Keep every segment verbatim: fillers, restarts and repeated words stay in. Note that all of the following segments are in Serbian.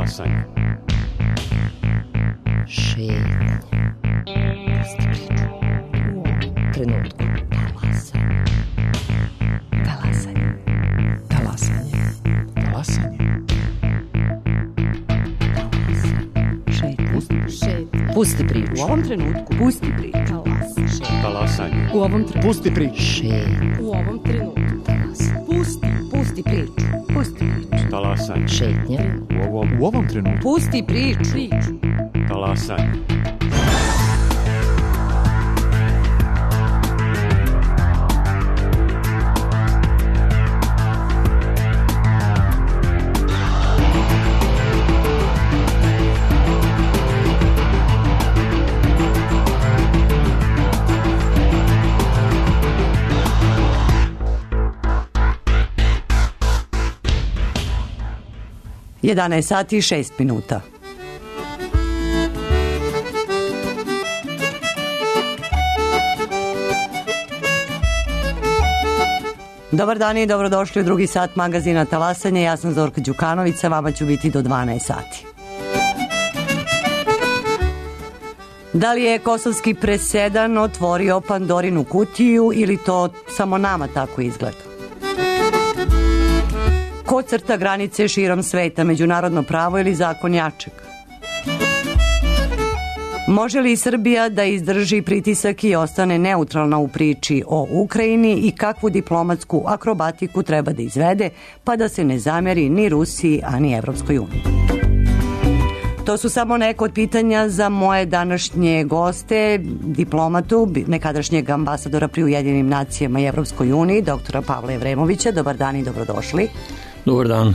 Talasanje. Šetnje. Pusti priču. U ovom trenutku. Talasanje. Talasanje. Talasanje. Talasanje. Šetnje. Pusti priču. U ovom trenutku. Pusti priču. Talasanje. U ovom trenutku. Pusti priču. Šetnje. U ovom trenutku. Pusti. Pusti priču. Pusti priču. Talasanje. Šetnje. U ovom, U ovom trenutku. Pusti priču. Priču. talasanje. jedanaest sati i šest minuta. Dobar dan i dobrodošli u drugi sat magazina Talasanje. Ja sam Zorka Đukanović, sa vama ću biti do dvanaest sati. Da li je kosovski presedan otvorio Pandorinu kutiju ili to samo nama tako izgleda? Ko crta granice širom sveta, međunarodno pravo ili zakon jačeg? Može li Srbija da izdrži pritisak i ostane neutralna u priči o Ukrajini i kakvu diplomatsku akrobatiku treba da izvede pa da se ne zameri ni Rusiji, a ni Evropskoj uniji? To su samo neko od pitanja za moje današnje goste, diplomatu, nekadašnjeg ambasadora pri Ujedinjenim nacijama i Evropskoj uniji, doktora Pavla Evremovića. Dobar dan i dobrodošli. Dobar dan.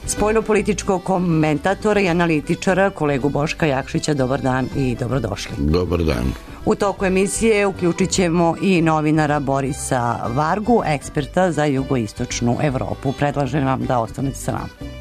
Spoljnopolitičkog komentatora i analitičara, kolegu Boška Jakšića. Dobar dan i dobrodošli. Dobar dan. U toku emisije uključit ćemo i novinara Borisa Vargu, eksperta za jugoistočnu Evropu. Predlažem vam da ostanete sa nama.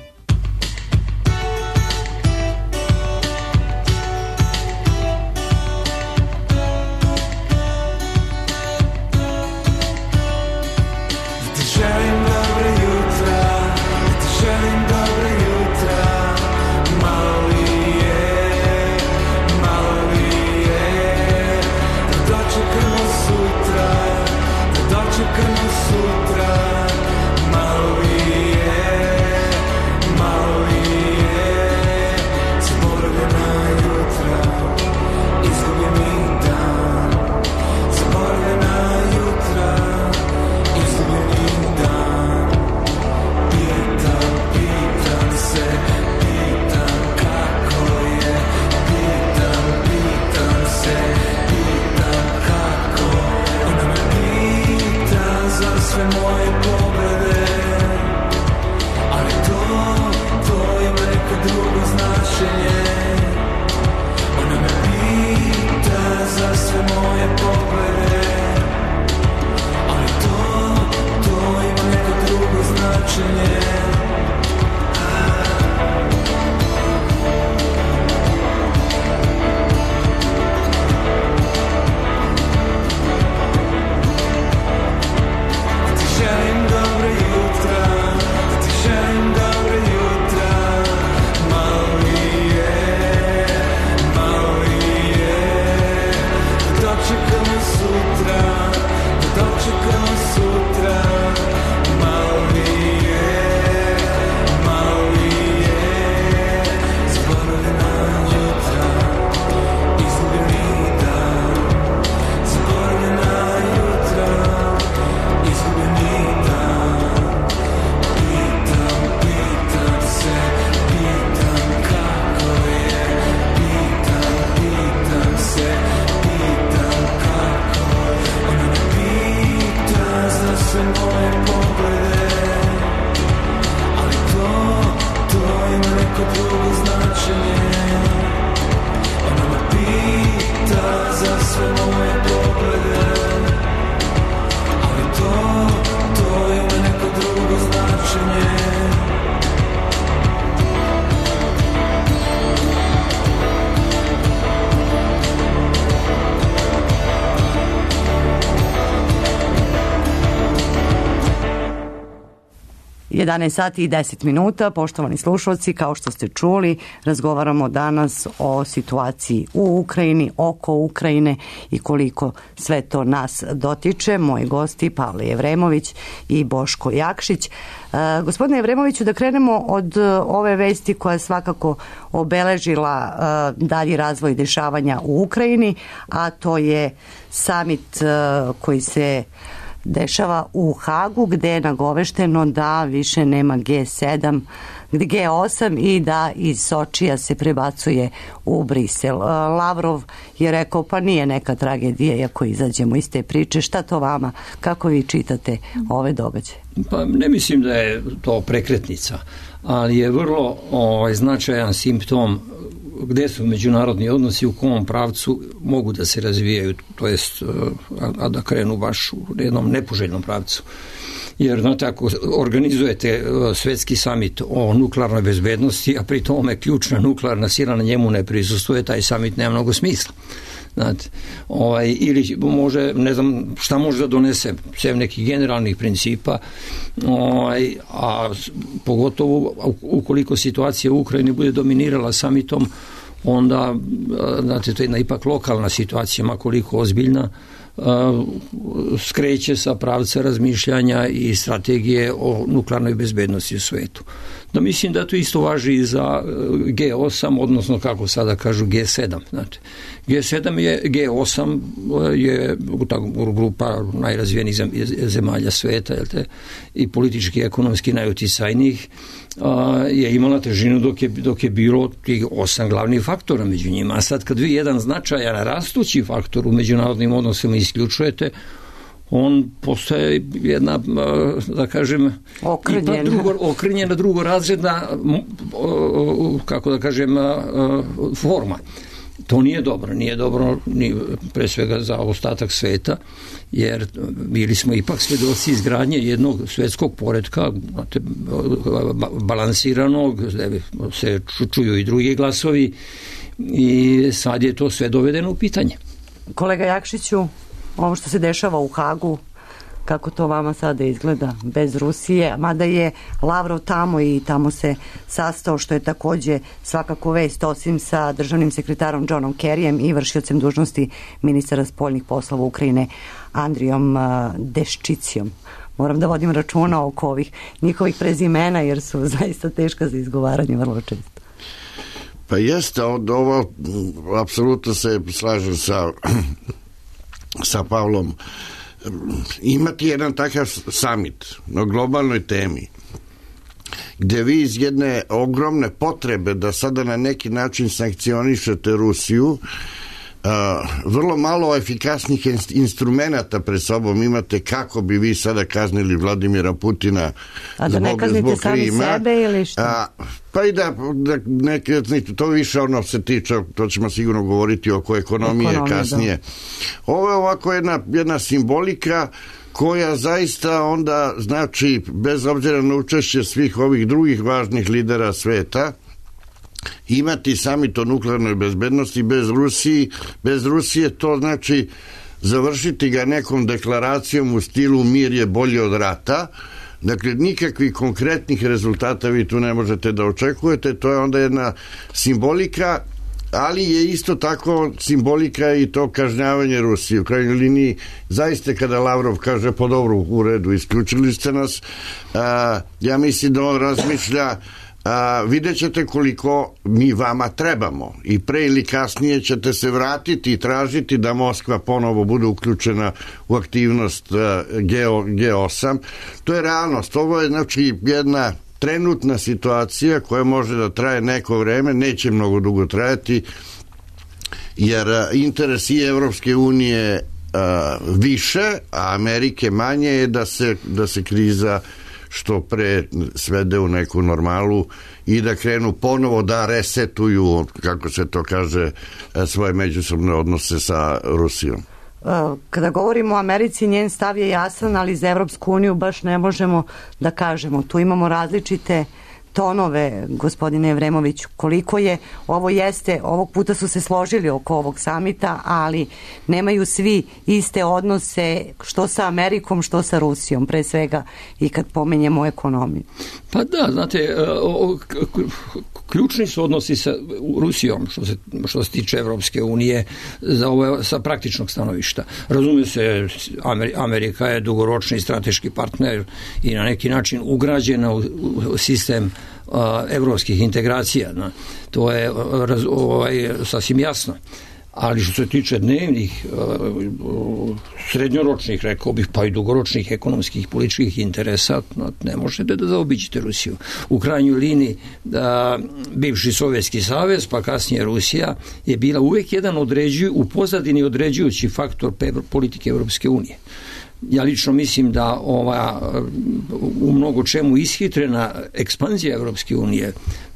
Sutra jedanaest sati i deset minuta, poštovani slušalci, kao što ste čuli, razgovaramo danas o situaciji u Ukrajini, oko Ukrajine i koliko sve to nas dotiče. Moji gosti Pavle Jevremović i Boško Jakšić. Uh, gospodine Jevremoviću, da krenemo od uh, ove vesti koja je svakako obeležila uh, dalji razvoj dešavanja u Ukrajini, a to je samit uh, koji se dešava u Hagu, gde je nagovešteno da više nema G sedam, G osam i da iz Sočija se prebacuje u Brisel. Lavrov je rekao, pa nije neka tragedija ako izađemo iz te priče. Šta to vama? Kako vi čitate ove događaje? Pa ne mislim da je to prekretnica, ali je vrlo ovaj, značajan simptom gde su međunarodni odnosi, u kom pravcu mogu da se razvijaju, to jest a da krenu baš u jednom nepoželjnom pravcu. Jer, znate, ako organizujete svetski samit o nuklearnoj bezbednosti, a pri tome ključna nuklearna sila na njemu ne prisustuje, taj samit nema mnogo smisla. Znate, ovaj, ili može, ne znam šta može da donese, sem nekih generalnih principa, ovaj, a pogotovo ukoliko situacija u Ukrajini bude dominirala samitom, onda, znate, to je jedna ipak lokalna situacija, makoliko ozbiljna, skreće sa pravca razmišljanja i strategije o nuklearnoj bezbednosti u svetu. Da mislim da to isto važi i za G osam, odnosno kako sada kažu G sedam. Znate. G sedam je, G osam je ta grupa najrazvijenijih zemalja sveta, jel te, i politički i ekonomski najuticajnijih, je imala težinu dok je, dok je bilo tih osam glavnih faktora među njima. A sad kad vi jedan značajan rastući faktor u međunarodnim odnosima isključujete, on postaje jedna, da kažem, okrenjena, drugo, okrenjena drugorazredna, kako da kažem, forma. To nije dobro, nije dobro ni pre svega za ostatak sveta, jer bili smo ipak svedoci izgradnje jednog svetskog poretka, balansiranog, se čuju i drugi glasovi, i sad je to sve dovedeno u pitanje. Kolega Jakšiću, ovo što se dešava u Hagu, kako to vama sada izgleda bez Rusije, mada je Lavrov tamo i tamo se sastao, što je takođe svakako vest, osim sa državnim sekretarom Johnom Kerryjem i vršiocem dužnosti ministra spoljnih poslova Ukrajine Andrijom Deščicijom. Moram da vodim računa oko ovih njihovih prezimena, jer su zaista teška za izgovaranje vrlo često. Pa jeste, ovo apsolutno se slažem sa sa Pavlom. Imati jedan takav samit na globalnoj temi gde vi iz jedne ogromne potrebe da sada na neki način sankcionišete Rusiju, Uh, vrlo malo efikasnih instrumenata pred sobom imate kako bi vi sada kaznili Vladimira Putina a da zbog, ne kaznite sami sebe ili što? Uh, pa i da, da neke, to više ono se tiče, to ćemo sigurno govoriti oko ekonomije, ekonomije kasnije. Da. Ovo je ovako jedna, jedna simbolika koja zaista onda znači, bez obzira na učešće svih ovih drugih važnih lidera sveta, imati samit o nuklearnoj bezbednosti bez Rusije, bez Rusije to znači završiti ga nekom deklaracijom u stilu mir je bolji od rata. Dakle, nikakvih konkretnih rezultata vi tu ne možete da očekujete, to je onda jedna simbolika, ali je isto tako simbolika i to kažnjavanje Rusije. U krajnjoj liniji, zaista kada Lavrov kaže po dobru u redu, isključili ste nas, a, ja mislim da on razmišlja a, vidjet ćete koliko mi vama trebamo i pre ili kasnije ćete se vratiti i tražiti da Moskva ponovo bude uključena u aktivnost a, G osam. To je realnost. Ovo je znači jedna trenutna situacija koja može da traje neko vreme, neće mnogo dugo trajati, jer interes i Evropske unije a, više, a Amerike manje je da se, da se kriza što pre svede u neku normalu i da krenu ponovo da resetuju, kako se to kaže, svoje međusobne odnose sa Rusijom. Kada govorimo o Americi, njen stav je jasan, ali za Evropsku uniju baš ne možemo da kažemo. Tu imamo različite tonove, gospodine Evremoviću, koliko je, ovo jeste, ovog puta su se složili oko ovog samita, ali nemaju svi iste odnose što sa Amerikom, što sa Rusijom, pre svega i kad pomenjemo ekonomiju. Pa da, znate, ključni su odnosi sa Rusijom što se, što se tiče Evropske unije za ovo, sa praktičnog stanovišta. Razumije se, Amerika je dugoročni strateški partner i na neki način ugrađena u sistem evropskih integracija. To je ovaj, sasvim jasno. Ali što se tiče dnevnih, srednjoročnih, rekao bih, pa i dugoročnih ekonomskih, političkih interesa, ne možete da zaobiđete Rusiju. U krajnjoj liniji, da, bivši Sovjetski savez, pa kasnije Rusija, je bila uvijek jedan određuju, u pozadini određujući faktor politike Evropske unije. Ja lično mislim da ova u mnogo čemu ishitrena ekspanzija Evropske unije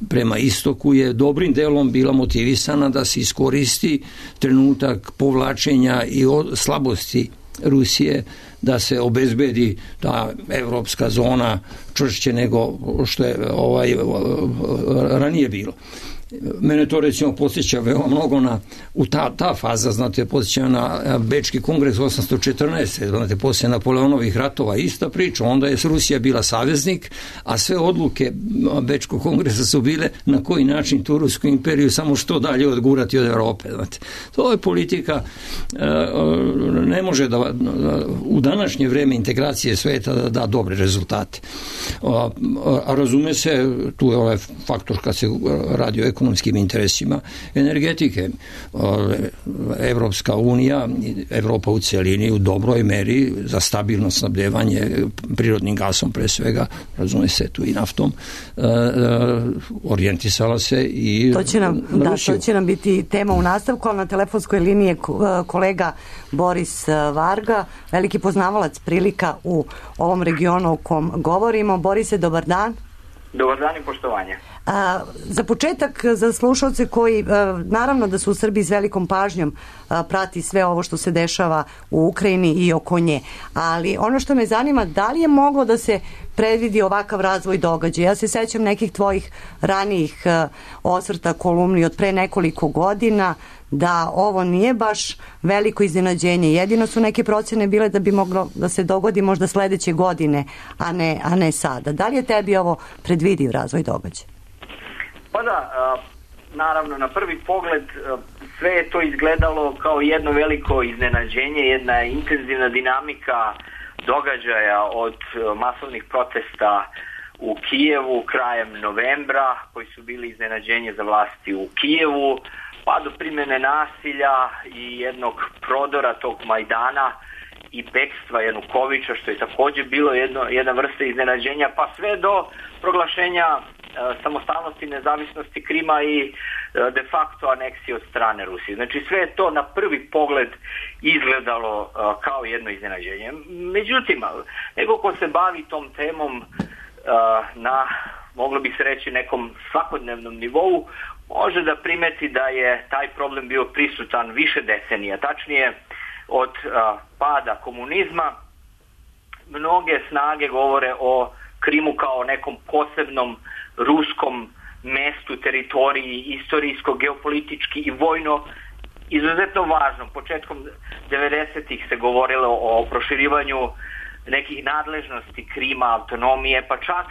prema istoku je dobrim delom bila motivisana da se iskoristi trenutak povlačenja i slabosti Rusije, da se obezbedi ta evropska zona čvršće nego što je ovaj ranije bilo. Mene to recimo podsjeća veoma mnogo na u ta, ta faza, znate, podsjeća na Bečki kongres osamsto četrnaeste. Znate, poslije Napoleonovih ratova ista priča, onda je Rusija bila saveznik, a sve odluke Bečkog kongresa su bile na koji način tu Rusku imperiju samo što dalje odgurati od Europe. Znate. To je politika, ne može da u današnje vreme integracije sveta da da dobre rezultate. A, a razume se, tu je ovaj faktor kad se radi o ekonomskim interesima energetike. Evropska unija, Evropa u celini u dobroj meri za stabilno snabdevanje prirodnim gasom pre svega, razume se tu i naftom, orijentisala se i to će nam, da, to će nam biti tema u nastavku, ali na telefonskoj liniji je kolega Boris Varga, veliki poznavalac prilika u ovom regionu o kom govorimo. Borise, dobar dan. Dobar dan i poštovanje. A, za početak, za slušalce koji a, naravno da su u Srbiji s velikom pažnjom a, prati sve ovo što se dešava u Ukrajini i oko nje, ali ono što me zanima, da li je moglo da se predvidi ovakav razvoj događaja? Ja se sećam nekih tvojih ranijih a, osvrta, kolumni od pre nekoliko godina, da ovo nije baš veliko iznenađenje. Jedino su neke procene bile da bi moglo da se dogodi možda sledeće godine, a ne, a ne sada. Da li je tebi ovo predvidiv razvoj događaja? Pa da, naravno, na prvi pogled sve je to izgledalo kao jedno veliko iznenađenje, jedna intenzivna dinamika događaja od masovnih protesta u Kijevu krajem novembra, koji su bili iznenađenje za vlasti u Kijevu, pa do primjene nasilja i jednog prodora tog Majdana i bekstva Janukovića, što je također bilo jedno, jedna vrsta iznenađenja, pa sve do proglašenja e, samostalnosti i nezavisnosti Krima i e, de facto aneksije od strane Rusije. Znači sve je to na prvi pogled izgledalo e, kao jedno iznenađenje. Međutim, neko ko se bavi tom temom e, na, moglo bi se reći, nekom svakodnevnom nivou, može da primeti da je taj problem bio prisutan više decenija, tačnije od a, pada komunizma. Mnoge snage govore o Krimu kao nekom posebnom ruskom mestu, teritoriji, istorijsko, geopolitički i vojno izuzetno važnom. Početkom devedesetih se govorilo o proširivanju nekih nadležnosti Krima, autonomije, pa čak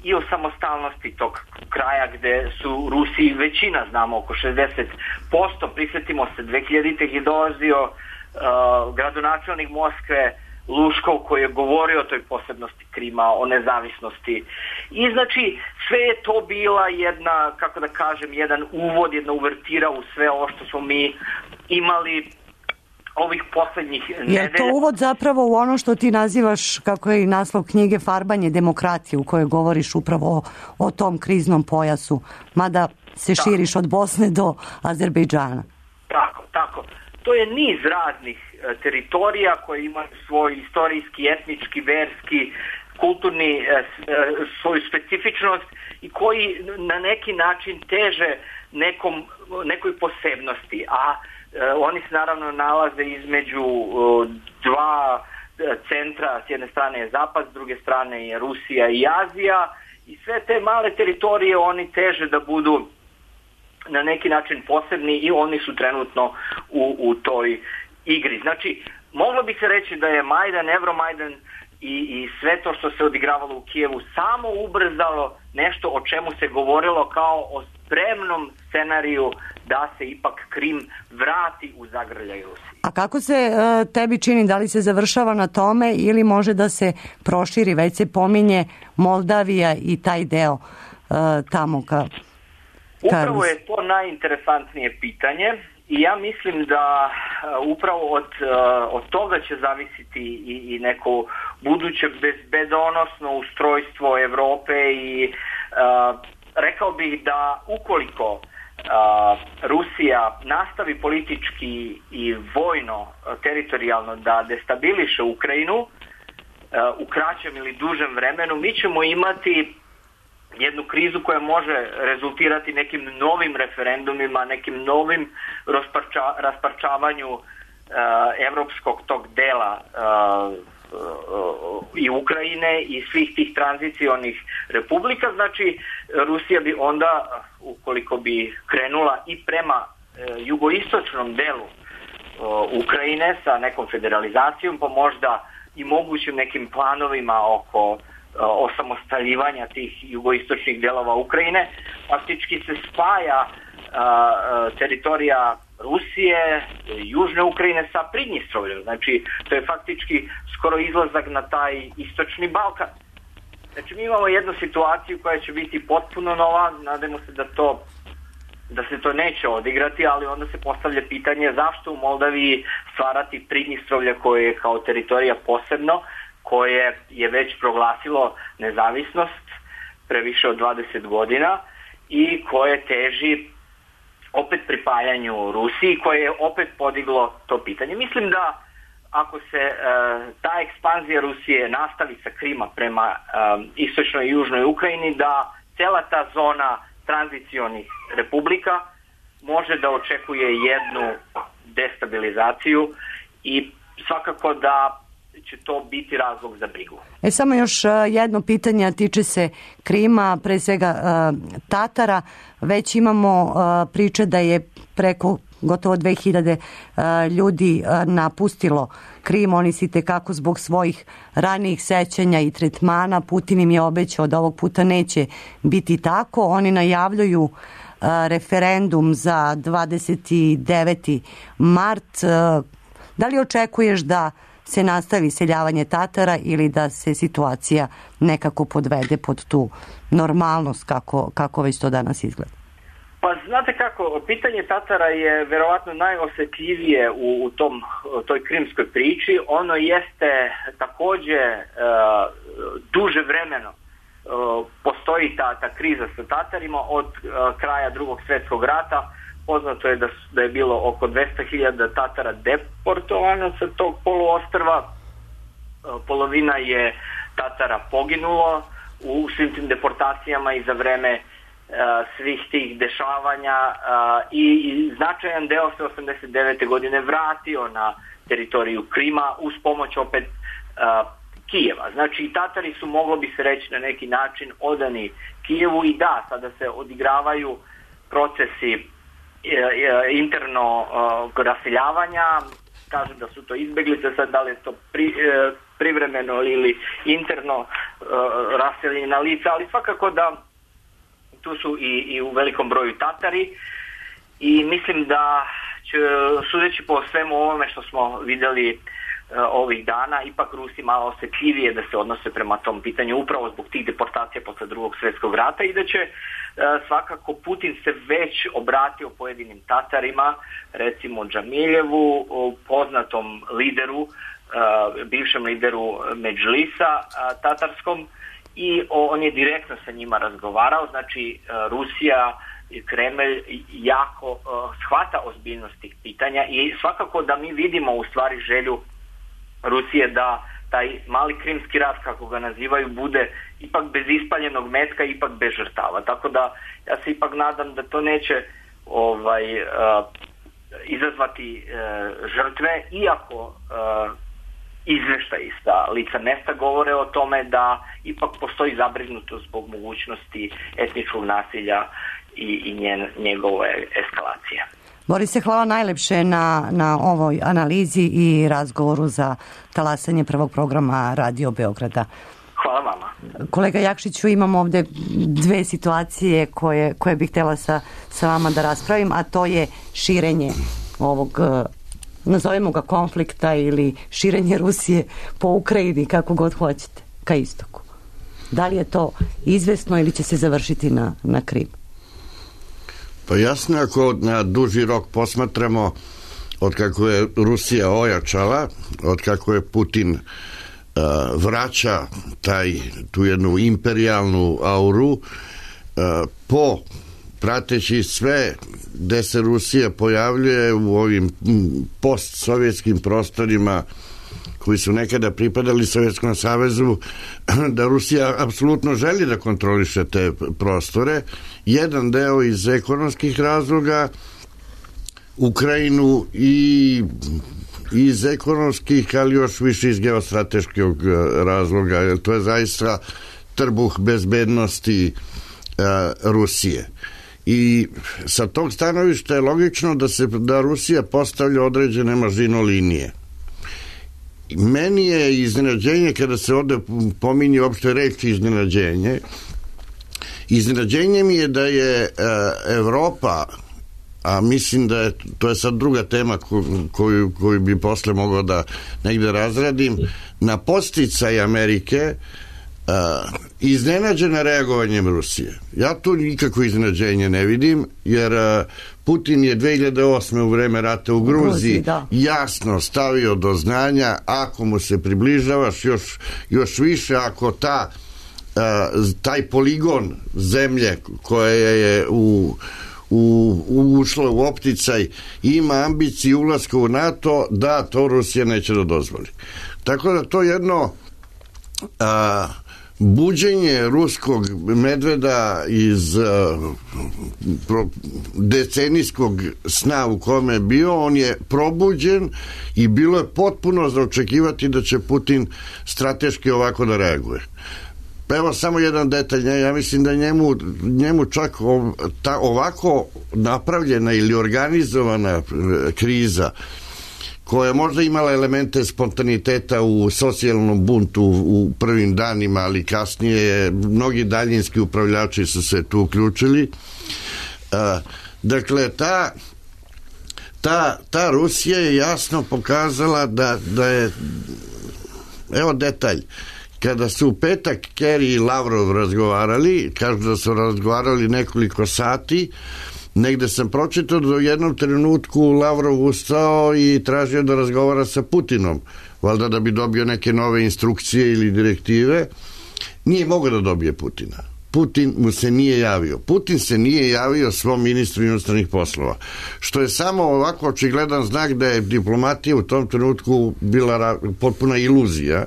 i o samostalnosti tog kraja gde su Rusi većina, znamo, oko šezdeset posto. Prisjetimo se, dve hiljaditih je dolazio uh, gradonačelnik Moskve Luškov koji je govorio o toj posebnosti Krima, o nezavisnosti. I znači sve je to bila jedna, kako da kažem, jedan uvod, jedna uvertira u sve ovo što smo mi imali ovih poslednjih nedelja. Je to uvod zapravo u ono što ti nazivaš, kako je i naslov knjige, Farbanje demokratije, u kojoj govoriš upravo o, o tom kriznom pojasu, mada se tako širiš od Bosne do Azerbejdžana. Tako, tako. To je niz raznih e, teritorija koje imaju svoj istorijski, etnički, verski, kulturni, e, e, svoju specifičnost i koji na neki način teže nekom, nekoj posebnosti, a oni se naravno nalaze između dva centra, s jedne strane je Zapad, s druge strane je Rusija i Azija, i sve te male teritorije oni teže da budu na neki način posebni i oni su trenutno u, u toj igri. Znači, moglo bi se reći da je Majdan, Euromajdan i, i sve to što se odigravalo u Kijevu samo ubrzalo nešto o čemu se govorilo kao o spremnom scenariju da se ipak Krim vrati u zagrljaj Rusiji. A kako se e, tebi čini, da li se završava na tome ili može da se proširi, već se pominje Moldavija i taj deo e, tamo ka... Upravo je to najinteresantnije pitanje i ja mislim da uh, upravo od, uh, od toga će zavisiti i, i neko buduće bezbedonosno ustrojstvo Evrope i uh, rekao bih da ukoliko uh, Rusija nastavi politički i vojno, uh, teritorijalno da destabiliše Ukrajinu uh, u kraćem ili dužem vremenu, mi ćemo imati jednu krizu koja može rezultirati nekim novim referendumima, nekim novim rasparča, rasparčavanju uh, evropskog tog dela uh, uh, i Ukrajine i svih tih tranzicionih republika. Znači, Rusija bi onda, ukoliko bi krenula i prema uh, jugoistočnom delu uh, Ukrajine sa nekom federalizacijom, pa možda i mogućim nekim planovima oko osamostaljivanja tih jugoistočnih delova Ukrajine, faktički se spaja a, a, teritorija Rusije, južne Ukrajine sa Pridnjestrovljem. Znači, to je faktički skoro izlazak na taj istočni Balkan. Znači, mi imamo jednu situaciju koja će biti potpuno nova, nadamo se da to da se to neće odigrati, ali onda se postavlja pitanje zašto u Moldaviji stvarati Pridnjestrovlje koje je kao teritorija posebno, koje je već proglasilo nezavisnost pre više od dvadeset godina i koje teži opet pripajanju Rusiji, koje je opet podiglo to pitanje. Mislim da ako se e, ta ekspanzija Rusije nastavi sa Krima prema e, istočnoj i južnoj Ukrajini, da cela ta zona tranzicionih republika može da očekuje jednu destabilizaciju i svakako da će to biti razlog za brigu. E, samo još jedno pitanje, a tiče se Krima, pre svega Tatara. Već imamo priče da je preko gotovo dve hiljade ljudi napustilo Krim. Oni si tekako zbog svojih ranijih sećanja i tretmana. Putin im je obećao da ovog puta neće biti tako. Oni najavljuju referendum za dvadeset deveti mart. Da li očekuješ da se nastavi seljavanje Tatara ili da se situacija nekako podvede pod tu normalnost kako, kako već to danas izgleda? Pa znate kako, pitanje Tatara je verovatno najosetljivije u, u tom, toj krimskoj priči. Ono jeste takođe uh, duže vremeno uh, postoji ta, ta kriza sa Tatarima od uh, kraja Drugog svjetskog rata. Poznato je da, da je bilo oko dvesta hiljada Tatara deportovano sa tog poluostrva. Polovina je Tatara poginulo u svim tim deportacijama i za vreme uh, svih tih dešavanja uh, i, i značajan deo se osamdeset devete godine vratio na teritoriju Krima uz pomoć opet uh, Kijeva. Znači, Tatari su, moglo bi se reći na neki način, odani Kijevu i da, sada se odigravaju procesi interno uh, raseljavanja, kažu da su to izbeglice, sad da li je to pri, uh, privremeno ili interno uh, raseljena lica, ali svakako da tu su i, i u velikom broju Tatari i mislim da će, sudeći po svemu ovome što smo videli uh, ovih dana, ipak Rusi malo osjetljivije da se odnose prema tom pitanju upravo zbog tih deportacija posle Drugog svjetskog rata i da će svakako Putin se već obratio pojedinim Tatarima, recimo Džamiljevu, poznatom lideru, bivšem lideru Medžlisa tatarskom i on je direktno sa njima razgovarao. Znači, Rusija i Kremlj jako shvata ozbiljnost tih pitanja i svakako da mi vidimo u stvari želju Rusije da taj mali krimski rat, kako ga nazivaju, bude ipak bez ispaljenog metka, ipak bez žrtava. Tako da ja se ipak nadam da to neće ovaj, uh, izazvati uh, žrtve, iako uh, izveštaji sa lica mesta govore o tome da ipak postoji zabrinutost zbog mogućnosti etničkog nasilja i, i njen, njegove eskalacije. Borise, hvala najlepše na, na ovoj analizi i razgovoru za talasanje prvog programa Radio Beograda. Hvala vama. Kolega Jakšiću, imam ovde dve situacije koje, koje bih htjela sa, sa vama da raspravim, a to je širenje ovog, nazovemo ga konflikta ili širenje Rusije po Ukrajini, kako god hoćete, ka istoku. Da li je to izvesno ili će se završiti na, na Krim? Pa jasno, ako na duži rok posmatramo od kako je Rusija ojačala, od kako je Putin uh, vraća taj, tu jednu imperijalnu auru, uh, po prateći sve gde se Rusija pojavljuje u ovim postsovjetskim prostorima koji su nekada pripadali Sovjetskom savezu, da Rusija apsolutno želi da kontroliše te prostore. Jedan deo iz ekonomskih razloga, Ukrajinu i iz ekonomskih, ali još više iz geostrateškog razloga, jer to je zaista trbuh bezbednosti uh, Rusije. I sa tog stanovišta je logično da se da Rusija postavlja određene mažino linije. Meni je iznenađenje kada se ovde pominje uopšte reč iznenađenje. Iznenađenje mi je da je e, Evropa, a mislim da je to je sad druga tema koju, koju bi posle mogao da negde razradim, na podsticaj Amerike Uh, iznenađena reagovanjem Rusije. Ja tu nikako iznenađenje ne vidim, jer uh, Putin je dve hiljade osme u vreme rata u Gruziji jasno stavio do znanja, ako mu se približavaš još, još više, ako ta uh, taj poligon zemlje koja je u U, ušla u opticaj ima ambiciju ulaska u NATO, da to Rusija neće da dozvoli. Tako da to jedno a, buđenje ruskog medveda iz uh, pro, decenijskog sna u kome je bio, on je probuđen i bilo je potpuno za očekivati da će Putin strateški ovako da reaguje. Evo samo jedan detalj, ja mislim da njemu, njemu čak ov, ta, ovako napravljena ili organizovana kriza koja je možda imala elemente spontaniteta u socijalnom buntu u prvim danima, ali kasnije mnogi daljinski upravljači su se tu uključili. Dakle, ta, ta, ta Rusija je jasno pokazala da, da je, evo detalj, kada su u petak Kerry i Lavrov razgovarali, kažu da su razgovarali nekoliko sati, negde sam pročitao da u jednom trenutku Lavrov ustao i tražio da razgovara sa Putinom, valjda da bi dobio neke nove instrukcije ili direktive. Nije mogao da dobije Putina. Putin mu se nije javio. Putin se nije javio svom ministru inostranih poslova. Što je samo ovako očigledan znak da je diplomatija u tom trenutku bila potpuna iluzija,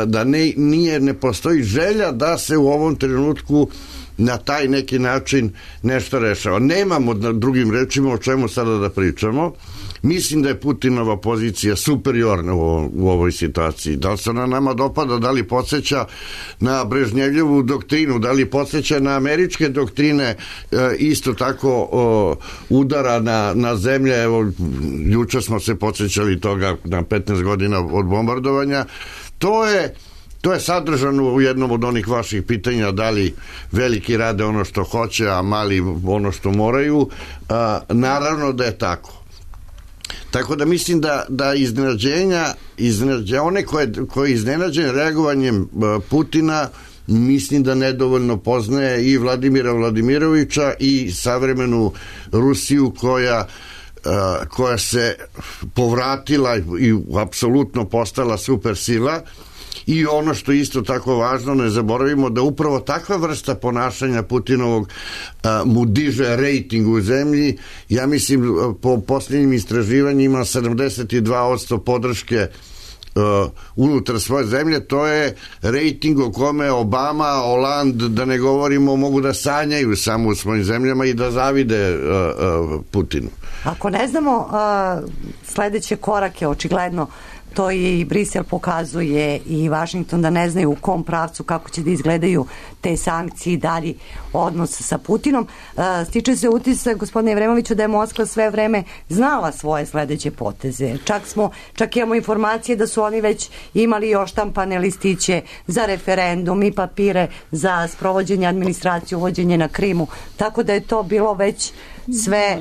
da ne, nije, ne postoji želja da se u ovom trenutku na taj neki način nešto rešava. Nemamo na drugim rečima o čemu sada da pričamo. Mislim da je Putinova pozicija superiorna u, ovo, u ovoj situaciji. Da li se ona nama dopada, da li podsjeća na Brežnjevljevu doktrinu, da li podsjeća na američke doktrine, e, isto tako o, udara na, na zemlje. Evo, juče smo se podsjećali toga na petnaest godina od bombardovanja. To je To je sadržano u jednom od onih vaših pitanja, da li veliki rade ono što hoće, a mali ono što moraju. A, naravno da je tako. Tako da mislim da, da iznenađenja, iznenađenja one koje, koje iznenađen reagovanjem Putina, mislim da nedovoljno poznaje i Vladimira Vladimirovića i savremenu Rusiju koja koja se povratila i apsolutno postala supersila. I ono što je isto tako važno, ne zaboravimo da upravo takva vrsta ponašanja Putinovog a, mu diže rejting u zemlji. Ja mislim po posljednjim istraživanjima sedamdeset dva posto podrške uh, unutar svoje zemlje, to je rejting o kome Obama, Hollande, da ne govorimo, mogu da sanjaju samo u svojim zemljama i da zavide uh, uh, Putinu. Ako ne znamo uh, sledeće korake, očigledno to i Brisel pokazuje i Vašington da ne znaju u kom pravcu kako će da izgledaju te sankcije i dalji odnos sa Putinom. Stiče se utisak, gospodine Evremoviću, da je Moskva sve vreme znala svoje sledeće poteze. Čak smo, čak imamo informacije da su oni već imali još štampane listiće za referendum i papire za sprovođenje administracije, uvođenje na Krimu, tako da je to bilo već sve...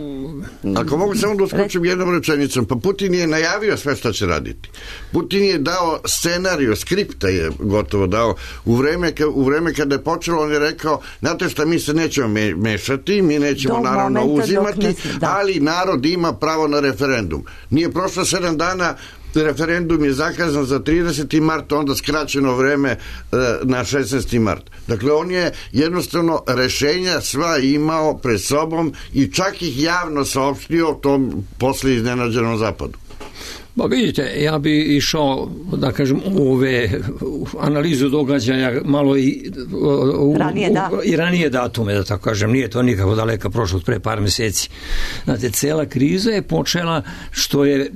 Ako mogu samo da uskočim jednom rečenicom, pa Putin je najavio sve što će raditi. Putin je dao scenariju, skripta je gotovo dao. U vreme, u vreme kada je počelo, on je rekao, znate šta, mi se nećemo mešati, mi nećemo do naravno uzimati, ne, da. Ali narod ima pravo na referendum. Nije prošlo sedam dana, referendum je zakazan za trideseti mart, onda skraćeno vreme na šesnaesti mart. Dakle, on je jednostavno rešenja sva imao pred sobom i čak ih javno saopštio tom posle iznenađenom zapadu. Ba vidite, ja bi išao, da kažem, u ove analizu događaja malo i u, ranije, da. u, i ranije datume, da tako kažem, nije to nikako daleka prošlost, pre par meseci. Znate, cela kriza je počela što je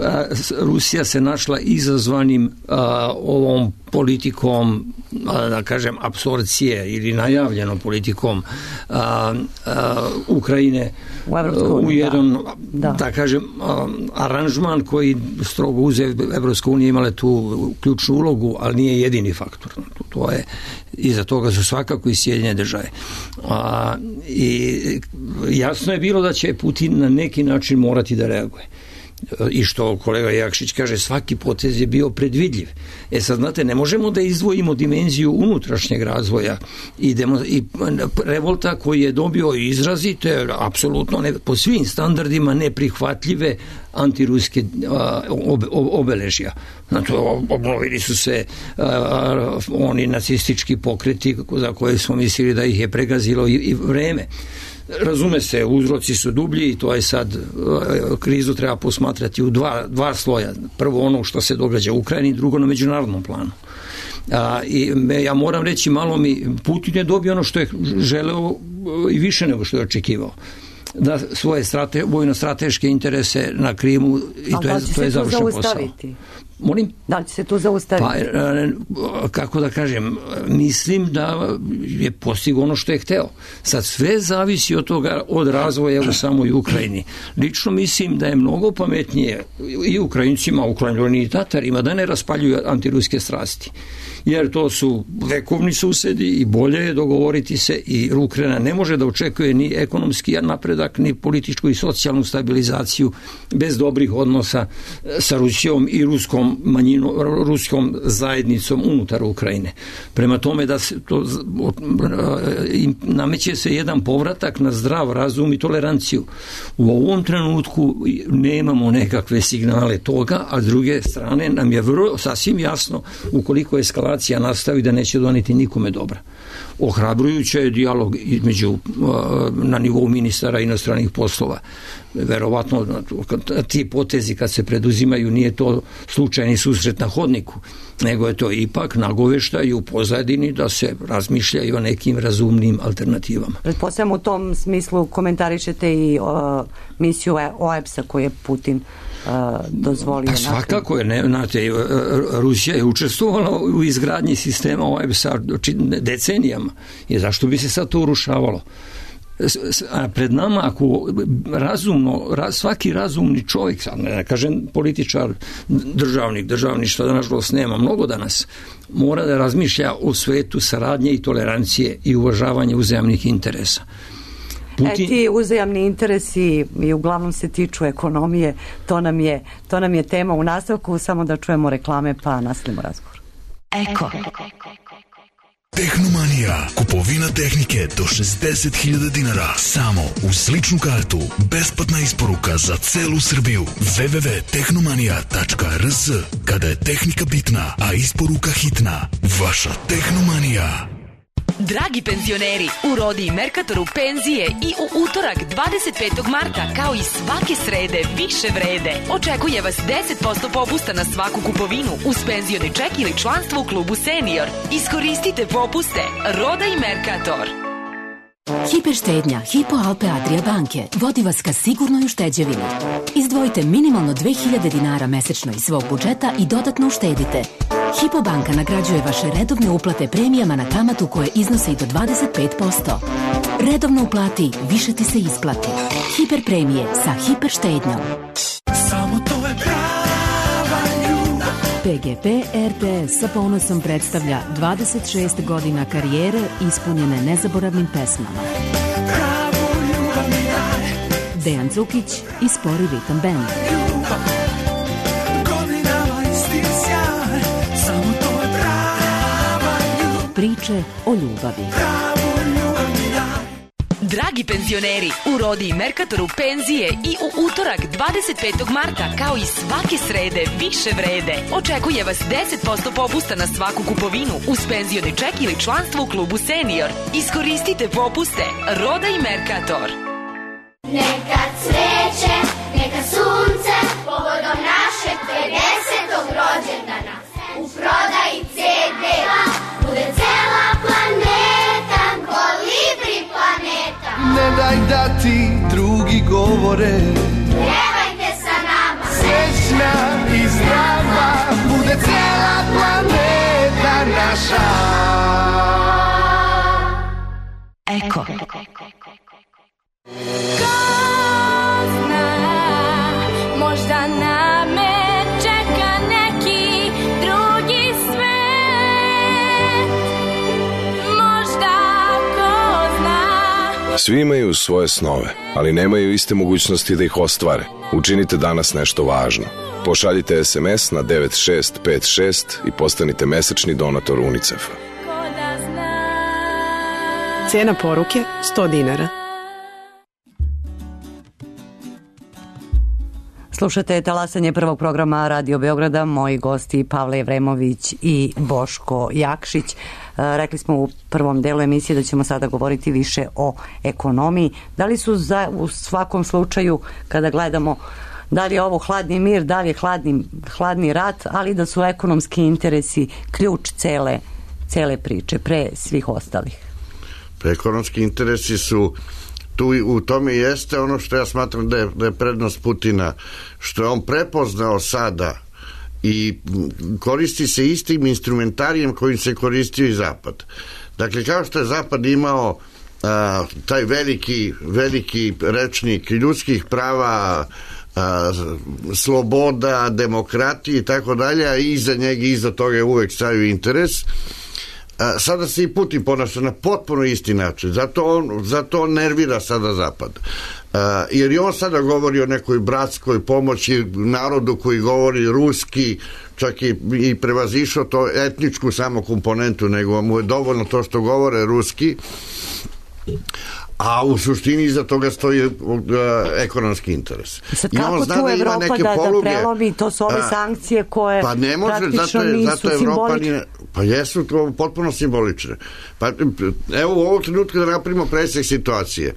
a, Rusija se našla izazvanim a, ovom politikom, a, da kažem, apsorpcije ili najavljenom politikom a, a, Ukrajine u, Evropsku, u jedan, da. Da. da kažem, a, aranžman koji strogo uze Evropska unija imala tu ključnu ulogu, ali nije jedini faktor. To je, iza toga su svakako i Sjedinjene države. A, i jasno je bilo da će Putin na neki način morati da reaguje. I što kolega Jakšić kaže, svaki potez je bio predvidljiv. E sad, znate, ne možemo da izdvojimo dimenziju unutrašnjeg razvoja i, demo, i revolta koji je dobio izrazite, apsolutno ne, po svim standardima neprihvatljive antiruske a, ob, ob, obeležja. Znači, obnovili su se a, a, oni nacistički pokreti za koje smo mislili da ih je pregazilo i, i vreme. Razume se, uzroci su dublji i to je sad, krizu treba posmatrati u dva, dva sloja. Prvo ono što se događa u Ukrajini, drugo na međunarodnom planu. A, i me, ja moram reći, malo mi, Putin je dobio ono što je želeo i više nego što je očekivao. Da svoje strate, vojno-strateške interese na Krimu i to je, to je završen posao. Molim? Da li će se tu zaustaviti? Pa, kako da kažem, mislim da je postigao ono što je hteo. Sad sve zavisi od toga, od razvoja u samoj Ukrajini. Lično mislim da je mnogo pametnije i Ukrajincima, Ukrajini i Tatarima da ne raspaljuju antiruske strasti. Jer to su vekovni susedi i bolje je dogovoriti se i Ukrajina ne može da očekuje ni ekonomski napredak, ni političku i socijalnu stabilizaciju bez dobrih odnosa sa Rusijom i ruskom manjinom, ruskom zajednicom unutar Ukrajine. Prema tome da se to nameće se jedan povratak na zdrav razum i toleranciju. U ovom trenutku nemamo nekakve signale toga, a s druge strane nam je vrlo sasvim jasno ukoliko eskalacija nastavi da neće doneti nikome dobra. Ohrabrujuće je dijalog između na nivou ministara inostranih poslova. Verovatno ti potezi kad se preduzimaju nije to slučajni susret na hodniku, nego je to ipak nagoveštaj u pozadini da se razmišlja i o nekim razumnim alternativama. Pretpostavljam u tom smislu komentarišete i o, misiju O E B S-a koju je Putin dozvolio. Pa svakako je, ne, znate, Rusija je učestvovala u izgradnji sistema O E B S-a decenijama. I zašto bi se sad to urušavalo? A pred nama, ako razumno, svaki razumni čovjek, sad ne kažem političar, državnik, državništva da nažalost nema mnogo danas, mora da razmišlja o svetu saradnje i tolerancije i uvažavanja uzajamnih interesa. Putin... E, ti uzajamni interesi i uglavnom se tiču ekonomije, to nam je, to nam je tema u nastavku, samo da čujemo reklame pa nastavimo razgovor. Eko. Tehnomanija. Kupovina tehnike do šezdeset hiljada dinara. Samo uz ličnu kartu. Besplatna isporuka za celu Srbiju. w w w tačka tehnomanija tačka r s. Kada je tehnika bitna, a isporuka hitna. Vaša Tehnomanija. Dragi penzioneri, u Rodi i Merkatoru penzije i u utorak dvadeset petog marta kao i svake srede više vrede. Očekuje vas deset posto popusta na svaku kupovinu uz penzioni ček ili članstvo u klubu Senior. Iskoristite popuste. Roda i Merkator. Hiperštednja Hypo Alpe Adria banke vodi vas ka sigurnoj ušteđevini. Izdvojite minimalno dve hiljade dinara mesečno iz svog budžeta i dodatno uštedite. Hypo banka nagrađuje vaše redovne uplate premijama na kamatu koje iznose i do dvadeset pet posto. Redovno uplati, više ti se isplati. Hiper premije sa hiperštednjom. Samo to je prava ljubav. P G P R T S sa ponosom predstavlja dvadeset šest godina karijere ispunjene nezaboravnim pesmama. Pravu ljubav mi daj. Dejan Cukić i Spori Ritam Band. Ljubav, godinama isti sjaj. Samo to je prava ljubav. Priče o ljubavi. Pravu ljubav mi daj. Dragi penzioneri, u Rodi i Merkatoru penzije i u utorak dvadeset petog marta kao i svake srede više vrede. Očekuje vas deset posto popusta na svaku kupovinu uz penzioni ček ili članstvo u klubu Senior. Iskoristite popuste. Roda i Merkator. Neka cveće, neka sunce, povodom našeg pedesetog rođendana. U prodaji ce de-a bude cela planeta, Kolibri planeta. Ne daj da ti drugi govore, Pjevajte sa nama, srećna i zdrava, bude cela planeta naša. Eko. možda na me čeka neki drugi svet. Možda ko zna. Svi imaju svoje snove, ali nemaju iste mogućnosti da ih ostvare. Učinite danas nešto važno. Pošaljite es em es na devet šest pet šest i postanite mesečni donator UNICEF-a. Cijena poruke sto dinara. Slušate talasanje prvog programa Radio Beograda, moji gosti Pavle Evremović i Boško Jakšić. Rekli smo u prvom delu emisije da ćemo sada govoriti više o ekonomiji. Da li su za, u svakom slučaju, kada gledamo da li je ovo hladni mir, da li je hladni, hladni rat, ali da su ekonomski interesi ključ cele, cele priče pre svih ostalih? Ekonomski interesi su tu, u tome jeste ono što ja smatram da je, da je prednost Putina, što je on prepoznao sada i koristi se istim instrumentarijem kojim se koristio i Zapad. Dakle, kao što je Zapad imao a, taj veliki, veliki rečnik ljudskih prava, a, sloboda, demokratije i tako dalje, a iza njega i iza toga je uvek stavio interes. A, sada se i Putin ponaša na potpuno isti način, zato on, zato on nervira sada Zapad. A, jer i on sada govori o nekoj bratskoj pomoći narodu koji govori ruski, čak i, i prevazišao to etničku samo komponentu, nego mu je dovoljno to što govore ruski, a u suštini iza toga stoji uh, ekonomski interes. Sad kako tu da Evropa da, da prelomi, to su ove a, sankcije koje pa ne može, praktično zato je, nisu zato simbolične. Pa jesu to potpuno simbolične. Pa, evo u ovom trenutku da napravimo presek situacije.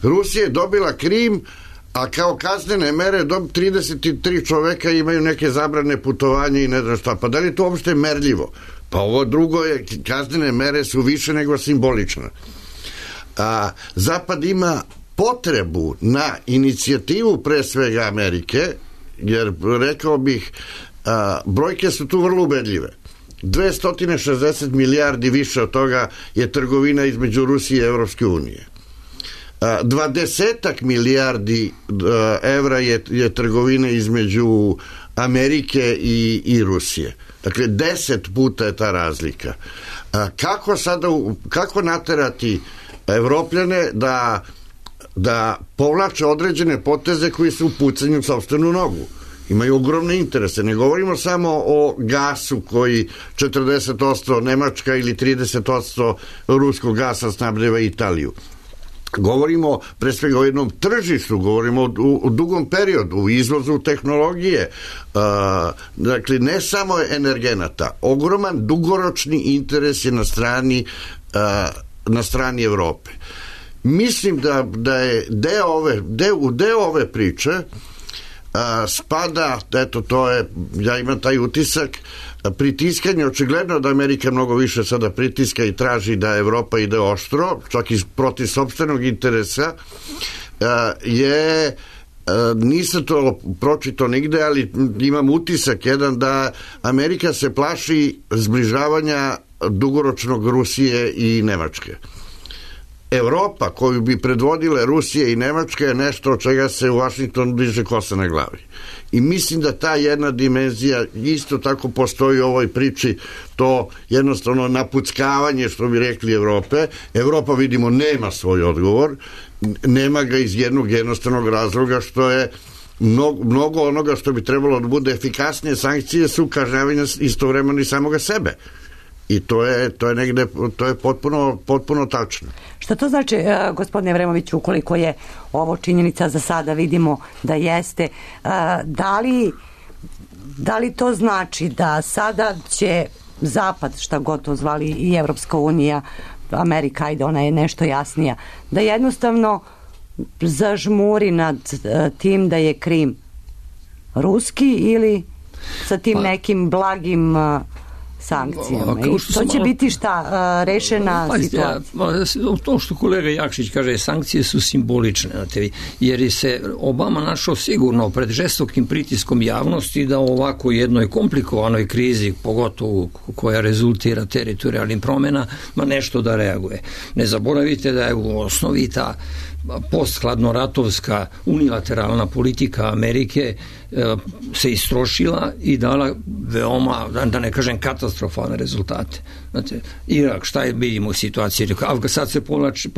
Rusija je dobila Krim, a kao kaznene mere trideset tri čoveka imaju neke zabrane putovanja i ne znam šta. Pa da li je to uopšte merljivo? Pa ovo drugo je, kaznene mere su više nego simbolične. A, Zapad ima potrebu na inicijativu pre svega Amerike, jer rekao bih a, brojke su tu vrlo ubedljive. dvesta šezdeset milijardi više od toga je trgovina između Rusije i Evropske unije. dvadesetak milijardi evra je, je trgovina između Amerike i, i Rusije. Dakle, deset puta je ta razlika. A, kako sada, kako naterati Evropljane da, da povlače određene poteze koji su u pucanju u sopstvenu nogu? Imaju ogromne interese. Ne govorimo samo o gasu koji četrdeset posto Nemačka ili trideset posto ruskog gasa snabdeva Italiju. Govorimo pre svega o jednom tržištu, govorimo o, o dugom periodu, u izvozu tehnologije, uh, dakle ne samo energenata, ogroman dugoročni interes je na strani uh, na strani Evrope. Mislim da, da je deo ove, deo, deo ove priče a, spada, eto to je, ja imam taj utisak, pritiskanje, očigledno da Amerika mnogo više sada pritiska i traži da Evropa ide oštro, čak i protiv sopstvenog interesa, a, je nisam to pročitao nigde, ali imam utisak jedan da Amerika se plaši zbližavanja dugoročnog Rusije i Nemačke. Evropa koju bi predvodile Rusije i Nemačka je nešto od čega se u Vašingtonu diže kosa na glavi. I mislim da ta jedna dimenzija isto tako postoji u ovoj priči, to jednostavno napuckavanje, što bi rekli, Evrope. Evropa, vidimo, nema svoj odgovor, nema ga iz jednog jednostavnog razloga što je mnogo, mnogo onoga što bi trebalo da bude efikasnije sankcije su kažnjavanje istovremeno i samoga sebe. I to je, to je negde, to je potpuno, potpuno tačno. Šta to znači, gospodine Vremoviću, ukoliko je ovo činjenica za sada vidimo da jeste, da li, da li to znači da sada će Zapad, šta god to zvali, i Evropska unija, Amerika, ajde, ona je nešto jasnija, da jednostavno zažmuri nad tim da je Krim ruski ili sa tim nekim blagim sankcijama? I to će biti šta, rešena situacija? To što kolega Jakšić kaže, sankcije su simbolične, jer se Obama našao sigurno pred žestokim pritiskom javnosti da u ovako jednoj komplikovanoj krizi, pogotovo koja rezultira teritorijalnim promjena, ma nešto da reaguje. Ne zaboravite da je u osnovi ta posthladnoratovska unilateralna politika Amerike e, se istrošila i dala veoma, da ne kažem, katastrofalne rezultate. Znate, Irak, šta je vidimo u situaciji? Sad se povlači,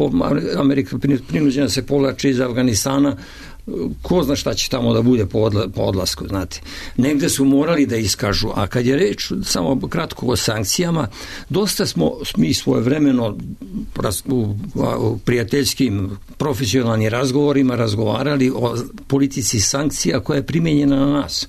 Amerika prinuđena se povlači iz Afganistana, ko zna šta će tamo da bude po, odla, po odlasku, znate. Negde su morali da iskažu, a kad je reč samo kratko o sankcijama, dosta smo mi svojevremeno u, u prijateljskim profesionalnim razgovorima razgovarali o politici sankcija koja je primjenjena na nas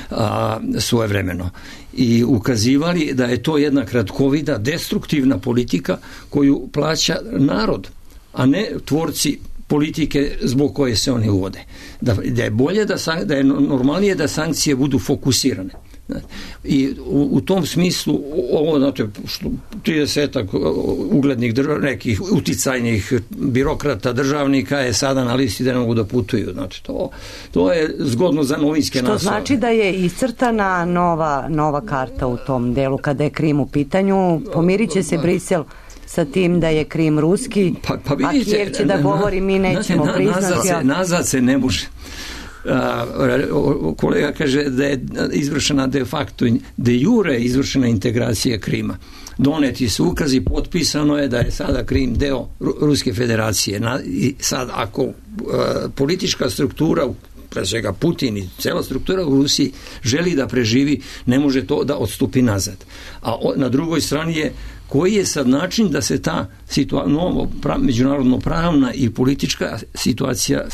a, svojevremeno i ukazivali da je to jedna kratkovida, destruktivna politika koju plaća narod, a ne tvorci politike zbog koje se one uvode. Da, da je bolje, da, da je normalnije da sankcije budu fokusirane. I u, u tom smislu ovo, znate, tridesetak uglednih držav, nekih uticajnih birokrata, državnika je sada na listi da ne mogu da putuju. Znači, to, to je zgodno za novinske naslove. Što znači da je iscrtana nova, nova karta u tom delu kada je Krim u pitanju. Pomirit će se Brisel sa tim da je Krim ruski, pa, pa vidite, a Kijev će da govori mi nećemo na, priznati. Nazad se, nazad se ne može. A, kolega kaže da je izvršena de facto, de jure izvršena integracija Krima. Doneti su ukazi, potpisano je da je sada Krim deo Ruske federacije. Na, i sad ako a, politička struktura, pre svega Putin i cela struktura u Rusiji želi da preživi, ne može to da odstupi nazad. A o, na drugoj strani je koji je sad način da se ta situa- novo pra- međunarodno pravna i politička situacija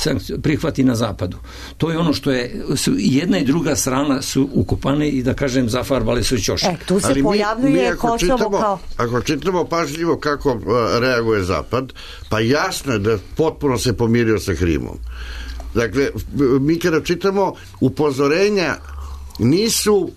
prihvati na zapadu. To je ono što je, su jedna i druga strana su ukopane i da kažem zafarbale su ćošak. E, tu se ali pojavljuje mi, mi Kosovo čitamo, kao... Ako čitamo pažljivo kako uh, reaguje zapad, pa jasno je da potpuno se pomirio sa Krimom. Dakle, mi kada čitamo upozorenja nisu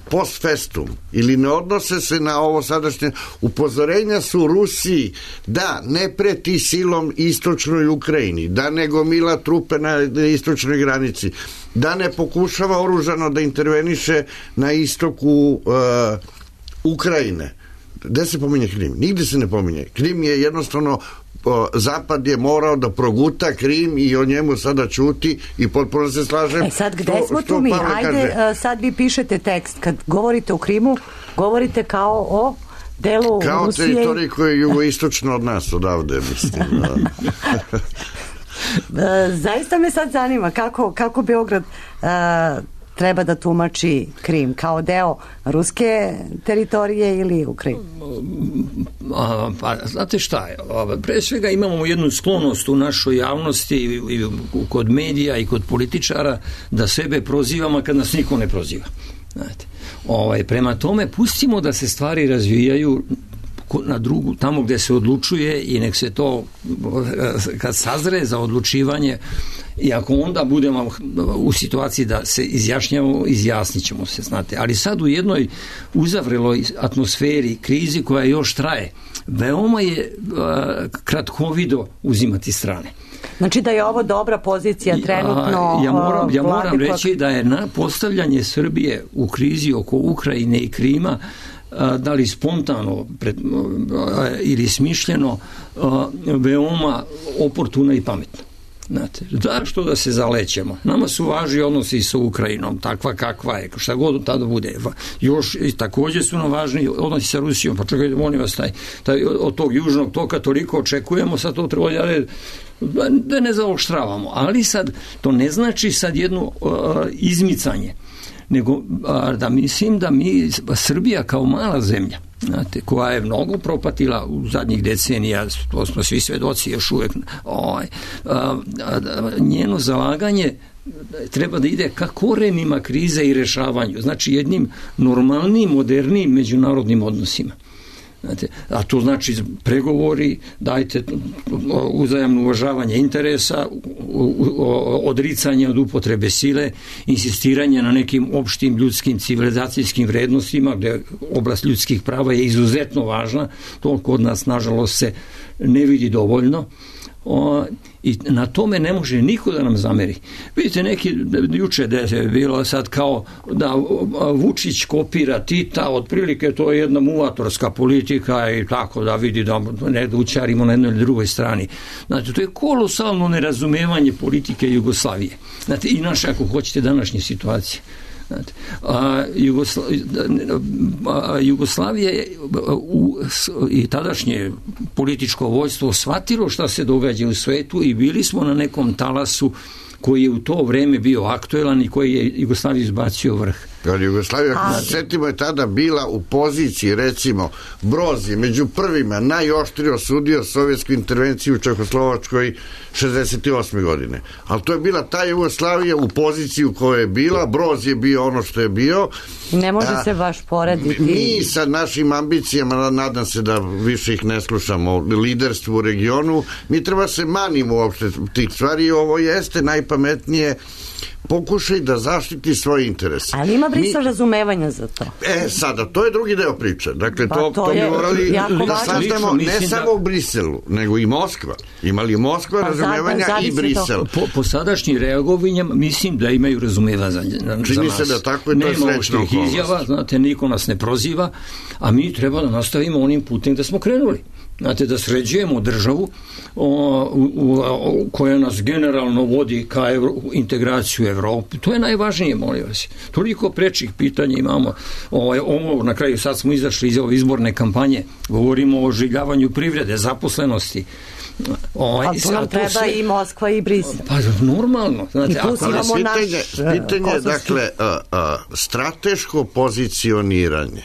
post festum ili ne odnose se na ovo sadašnje, upozorenja su Rusiji da ne preti silom istočnoj Ukrajini, da ne gomila trupe na istočnoj granici, da ne pokušava oružano da interveniše na istoku uh, Ukrajine. Gde se pominje Krim? Nigde se ne pominje. Krim je jednostavno, Zapad je morao da proguta Krim i o njemu sada ćuti i potpuno se slažem. E sad gde što, smo tu mi? Ajde, kaže. Sad vi pišete tekst. Kad govorite o Krimu, govorite kao o delu kao Rusije. Kao teritoriji koji je jugoistočno od nas, odavde, mislim. Zaista me sad zanima kako, kako Beograd uh, treba da tumači Krim kao deo ruske teritorije ili Ukrajine? Pa, znate šta je? Pre svega imamo jednu sklonost u našoj javnosti i, i kod medija i kod političara da sebe prozivamo kad nas niko ne proziva. Znate. Ovaj, prema tome, pustimo da se stvari razvijaju na drugu, tamo gde se odlučuje i nek se to kad sazre za odlučivanje i ako onda budemo u situaciji da se izjašnjamo, izjasnit ćemo se, znate. Ali sad u jednoj uzavreloj atmosferi, krizi koja još traje, veoma je kratkovido uzimati strane. Znači da je ovo dobra pozicija trenutno. Ja, ja moram, ja moram reći da je na postavljanje Srbije u krizi oko Ukrajine i Krima, da li spontano pred, ili smišljeno, veoma oportuna i pametno. Znate, da što da se zalećemo. Nama su važni odnosi sa Ukrajinom, takva kakva je, šta god tada bude. Još i također su nam važni odnosi sa Rusijom, pa čekajte, molim vas, taj, taj, od tog južnog toka toliko očekujemo, sad to treba da, da ne zaoštravamo. Ali sad, to ne znači sad jedno uh, izmicanje, nego uh, da mislim da mi, Srbija kao mala zemlja, znate, koja je mnogo propatila u zadnjih decenija, to smo svi svedoci još uvek, ovaj, a, a, a, njeno zalaganje treba da ide ka korenima krize i rešavanju, znači jednim normalnim, modernim međunarodnim odnosima. Znate, a to znači pregovori, dajte uzajamno uvažavanje interesa, odricanje od upotrebe sile, insistiranje na nekim opštim ljudskim civilizacijskim vrednostima, gde oblast ljudskih prava je izuzetno važna, to kod nas nažalost se ne vidi dovoljno. O, i na tome ne može niko da nam zameri. Vidite, neki juče da je bilo sad kao da Vučić kopira Tita, otprilike to je jedna muvatorska politika i tako da vidi da ne da učarimo na jednoj ili drugoj strani. Znate, to je kolosalno nerazumevanje politike Jugoslavije. Znate, i naše, ako hoćete, današnje situacije. A, Jugosla, a, Jugoslavija je u, i tadašnje političko vojstvo shvatilo šta se događa u svetu i bili smo na nekom talasu koji je u to vreme bio aktuelan i koji je Jugoslaviju izbacio vrh. Ali Jugoslavija, setimo, je tada bila u poziciji, recimo, Broz je među prvima najoštrije osudio sovjetsku intervenciju u Čehoslovačkoj šezdeset osme godine. Ali to je bila ta Jugoslavija u poziciji u kojoj je bila, Broz je bio ono što je bio. Ne može a, se baš porediti. Mi sa našim ambicijama, nadam se da više ih ne slušamo, liderstvu u regionu, mi treba se manimo uopšte tih stvari. Ovo jeste najpametnije, pokušaj da zaštiti svoje interese. Ali ima Brisel mi... razumevanja za to. E, sada, to je drugi deo priče. Dakle, pa, to, to, to mi morali da saznamo ne da... samo u Briselu, nego i Moskva. Imali Moskva pa, razumevanja zad, i Brisel. Po, po sadašnjim reagovanjem mislim da imaju razumevanja za, za nas. Čini se da tako je, to je srećna okolnost. Izjava, znate, niko nas ne proziva, a mi treba da nastavimo onim putem da smo krenuli. Znate, da sređujemo državu o, u, u, koja nas generalno vodi ka evro, integraciju Evrope. To je najvažnije, molim vas. Toliko prečih pitanja imamo. Ovaj, ovo, na kraju sad smo izašli iz ove izborne kampanje, govorimo o oživljavanju privrede, zaposlenosti. Ovaj, a to nam treba sve... i Moskva i Brisel. Pa normalno. Znate, I tu imamo pitanje, naš... Pitanje, dakle, a, a, strateško pozicioniranje.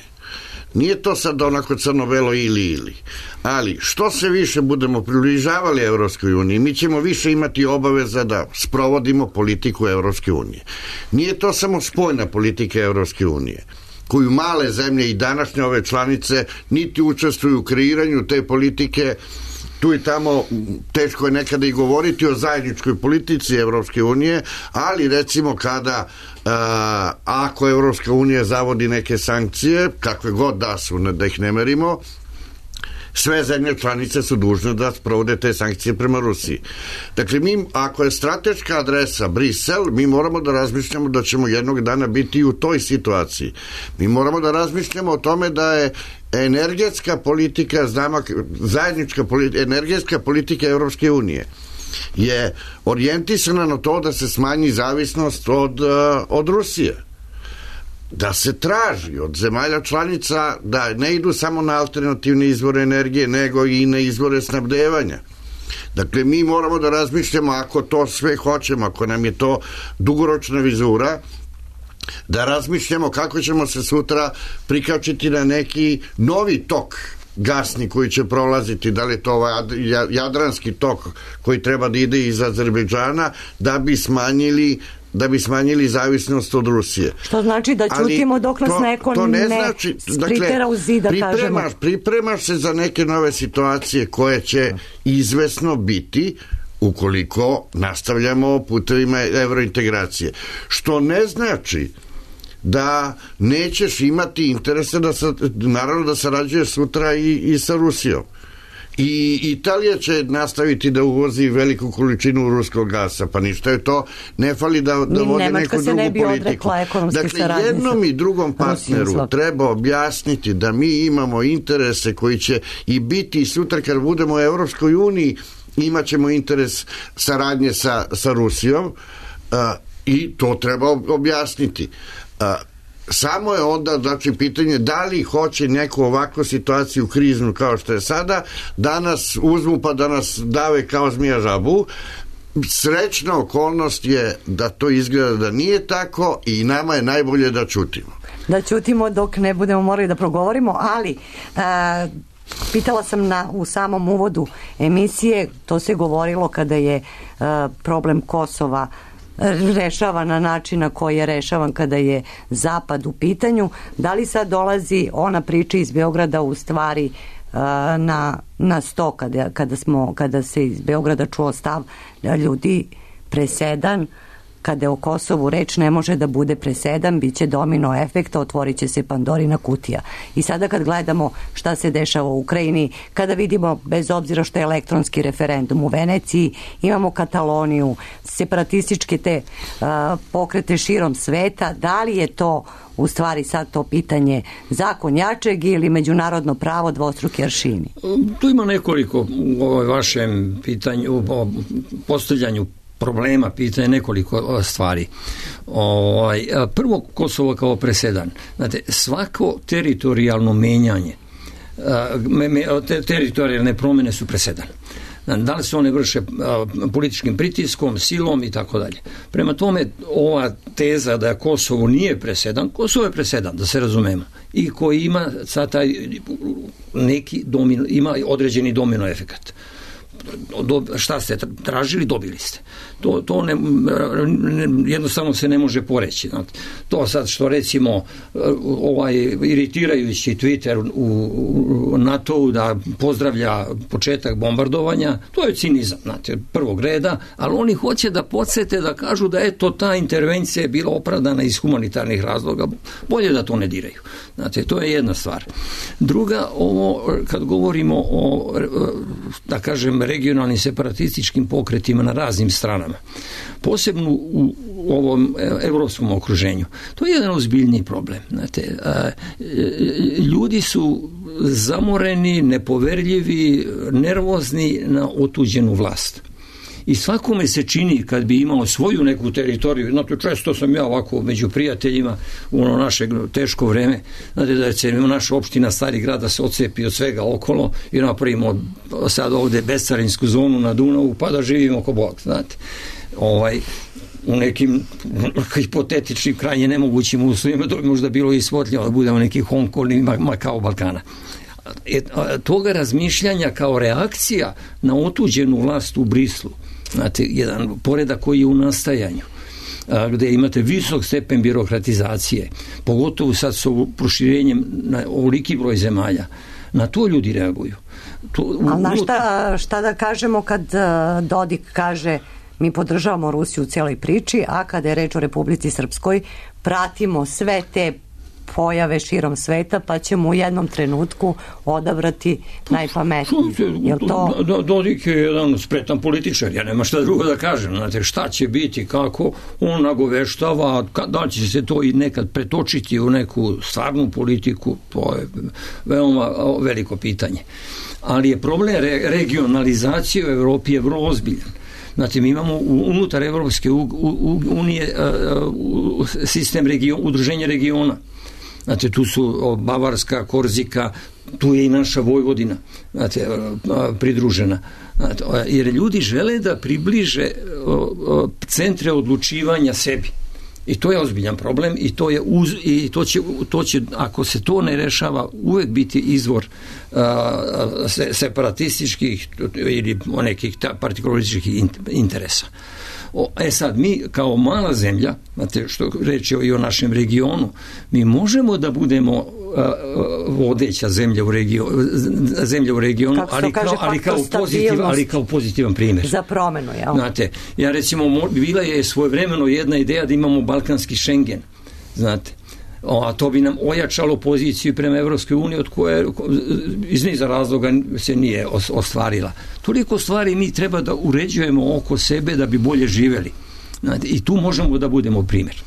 Nije to sad onako crno-belo ili ili, ali što se više budemo približavali Evropskoj uniji, mi ćemo više imati obaveza da sprovodimo politiku Evropske unije. Nije to samo spoljna politika Evropske unije, koju male zemlje i današnje ove članice niti učestvuju u kreiranju te politike. Tu i tamo teško je nekada i govoriti o zajedničkoj politici Evropske unije, ali recimo kada uh, ako Evropska unija zavodi neke sankcije, kakve god da su, da ih ne merimo, sve zemlje članice su dužne da sprovode te sankcije prema Rusiji. Dakle, mi, ako je strateška adresa Brisel, mi moramo da razmišljamo da ćemo jednog dana biti u toj situaciji. Mi moramo da razmišljamo o tome da je energetska politika, znamo, zajednička politika, energetska politika Evropske unije je orijentisana na to da se smanji zavisnost od, od Rusije. Da se traži od zemalja članica da ne idu samo na alternativne izvore energije, nego i na izvore snabdevanja. Dakle, mi moramo da razmišljamo, ako to sve hoćemo, ako nam je to dugoročna vizura, da razmišljamo kako ćemo se sutra prikačiti na neki novi tok gasni koji će prolaziti, da li je to ovaj jadranski tok koji treba da ide iz Azerbejdžana, da bi smanjili da bi smanjili zavisnost od Rusije. Što znači da ćutimo dok nas to, neko to ne, ne znači, spritera u zid, da pripremaš, kažemo. Pripremaš se za neke nove situacije koje će izvesno biti ukoliko nastavljamo putevima evrointegracije. Što ne znači da nećeš imati interese da sa, naravno da sarađuje sutra i, i sa Rusijom. I Italija će nastaviti da uvozi veliku količinu ruskog gasa, pa ništa je to, ne fali da, da vode Nemačka neku drugu ne bi politiku. Dakle, jednom i drugom partneru treba objasniti da mi imamo interese koji će i biti sutra kad budemo u Evropskoj uniji, imat ćemo interes saradnje sa, sa Rusijom uh, i to treba objasniti. Uh, Samo je onda, znači, pitanje da li hoće neku ovakvu situaciju kriznu kao što je sada, da nas uzmu pa da nas dave kao zmija žabu. Srećna okolnost je da to izgleda da nije tako i nama je najbolje da ćutimo. Da ćutimo dok ne budemo morali da progovorimo, ali a, pitala sam na, u samom uvodu emisije, to se govorilo kada je a, problem Kosova rešava na način na koji je rešavan kada je Zapad u pitanju. Da li sad dolazi ona priča iz Beograda u stvari uh, na, na sto kada, kada, smo, kada se iz Beograda čuo stav da ljudi presedan kada je o Kosovu reč ne može da bude presedan, bit će domino efekta, otvorit će se Pandorina kutija. I sada kad gledamo šta se dešava u Ukrajini, kada vidimo, bez obzira što je elektronski referendum u Veneciji, imamo Kataloniju, separatističke te uh, pokrete širom sveta, da li je to u stvari sad to pitanje zakon jačeg ili međunarodno pravo dvostruki aršini? Tu ima nekoliko u ovoj vašem pitanju, u postavljanju problema, pitanje nekoliko stvari. Ovaj, prvo, Kosovo kao presedan. Znate, svako teritorijalno menjanje, me, me, te, teritorijalne promjene su presedan. Da li se one vrše političkim pritiskom, silom i tako dalje. Prema tome, ova teza da Kosovo nije presedan, Kosovo je presedan, da se razumemo. I koji ima sad taj neki domino, ima određeni domino efekat. Do, šta ste tražili, dobili ste. To, to ne, ne, jednostavno se ne može poreći. Znate. To sad što recimo ovaj iritirajući Twitter u, u NATO-u da pozdravlja početak bombardovanja, to je cinizam, znate, prvog reda, ali oni hoće da podsjete da kažu da eto ta intervencija je bila opravdana iz humanitarnih razloga. Bolje da to ne diraju. Znate, to je jedna stvar. Druga, ovo kad govorimo o, da kažem, regionalnim separatističkim pokretima na raznim stranama, posebno u ovom evropskom okruženju. To je jedan ozbiljni problem. Znate, ljudi su zamoreni, nepoverljivi, nervozni na otuđenu vlast. I svakome se čini kad bi imao svoju neku teritoriju, znate, često sam ja ovako među prijateljima u ono naše teško vreme, znate da će naša opština Stari grad da se odcepi od svega okolo i napravimo sad ovde bescarinsku zonu na Dunavu pa da živimo ko Bog, znate. Ovaj, u nekim hipotetičnim krajnje nemogućim uslovima to bi možda bilo i svotljeno da budemo neki Hong Kong ili Makao Balkana. E, toga razmišljanja kao reakcija na otuđenu vlast u Brislu, znate, jedan poredak koji je u nastajanju, a, gde imate visok stepen birokratizacije, pogotovo sad sa proširenjem na ovoliki broj zemalja, na to ljudi reaguju. To, u, Ali na šta, šta da kažemo kad uh, Dodik kaže mi podržavamo Rusiju u cijeloj priči, a kada je reč o Republici Srpskoj pratimo sve te pojave širom sveta, pa ćemo u jednom trenutku odabrati najpametnije. Jel to... Dodik je jedan spretan političar, ja nema šta drugo da kažem. Znate, šta će biti, kako on nagoveštava, da će se to i nekad pretočiti u neku stvarnu politiku, to je veoma veliko pitanje. Ali je problem re- regionalizacije u Evropi je vrlo ozbiljan. Znači, mi imamo unutar Evropske unije sistem region, udruženja regiona. Znate, tu su Bavarska, Korzika, tu je i naša Vojvodina, znate, pridružena. Znate, jer ljudi žele da približe centre odlučivanja sebi. I to je ozbiljan problem i to je uz, i to će, to će, ako se to ne rešava, uvek biti izvor uh, separatističkih ili nekih partikularističkih interesa. O, e sad, mi kao mala zemlja, znate što reći i o našem regionu, mi možemo da budemo a, vodeća zemlja u regionu, zemlja u regionu, ali kao, ali, kao pozitiv, ali kao pozitivan primjer. Za promenu, jel? Znate, ja recimo, bila je svojevremeno jedna ideja da imamo balkanski Schengen, znate, a to bi nam ojačalo poziciju prema Evropskoj uniji od koje iz niza razloga se nije ostvarila. Toliko stvari mi treba da uređujemo oko sebe da bi bolje živjeli. Znate, i tu možemo da budemo primjer.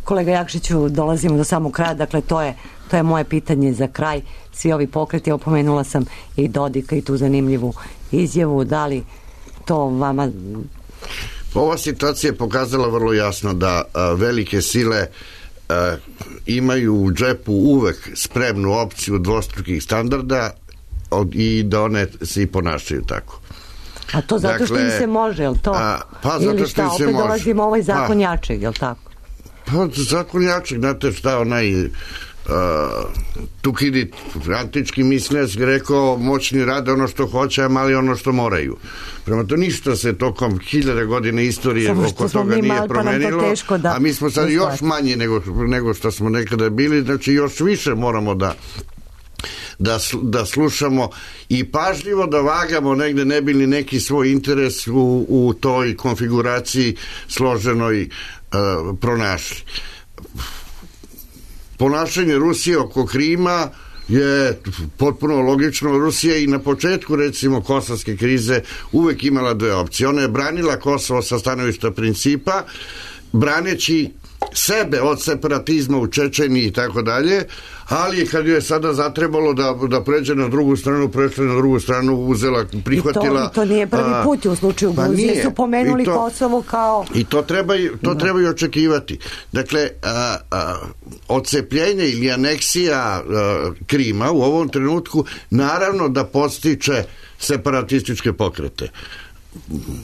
Kolega Jakšiću, dolazimo do samog kraja, dakle to je, to je moje pitanje za kraj. Svi ovi pokreti, opomenula sam i Dodika i tu zanimljivu izjavu, da li to vama... Ova situacija je pokazala vrlo jasno da a, velike sile a, imaju u džepu uvek spremnu opciju dvostrukih standarda od, i da one se i ponašaju tako. A to zato dakle, što im se može, je li to? A, pa zato ili što šta, im se opet može. dolazimo ovaj zakon pa, jačeg, je li tako? Pa zakon jačeg, znate šta onaj... Uh, Tukidid, antički mislec, rekao moćni rade ono što hoće, a mali ono što moraju. Prema to ništa se tokom hiljade godine istorije oko toga nije promenilo, pa da, a mi smo sad još manji nego, nego što smo nekada bili, znači još više moramo da Da, da slušamo i pažljivo da vagamo negde ne bili neki svoj interes u, u toj konfiguraciji složenoj uh, pronašli. Ponašanje Rusije oko Krima je potpuno logično. Rusija i na početku recimo kosovske krize uvek imala dve opcije. Ona je branila Kosovo sa stanovišta principa, braneći sebe od separatizma u Čečeniji i tako dalje, ali kad je sada zatrebalo da, da pređe na drugu stranu, prešla na drugu stranu, uzela, prihvatila... I to, to nije prvi put u slučaju pa Gruzije, su pomenuli to, Kosovo kao... I to treba, to treba i očekivati. Dakle, a, a, odcepljenje ili aneksija a, Krima u ovom trenutku naravno da podstiče separatističke pokrete.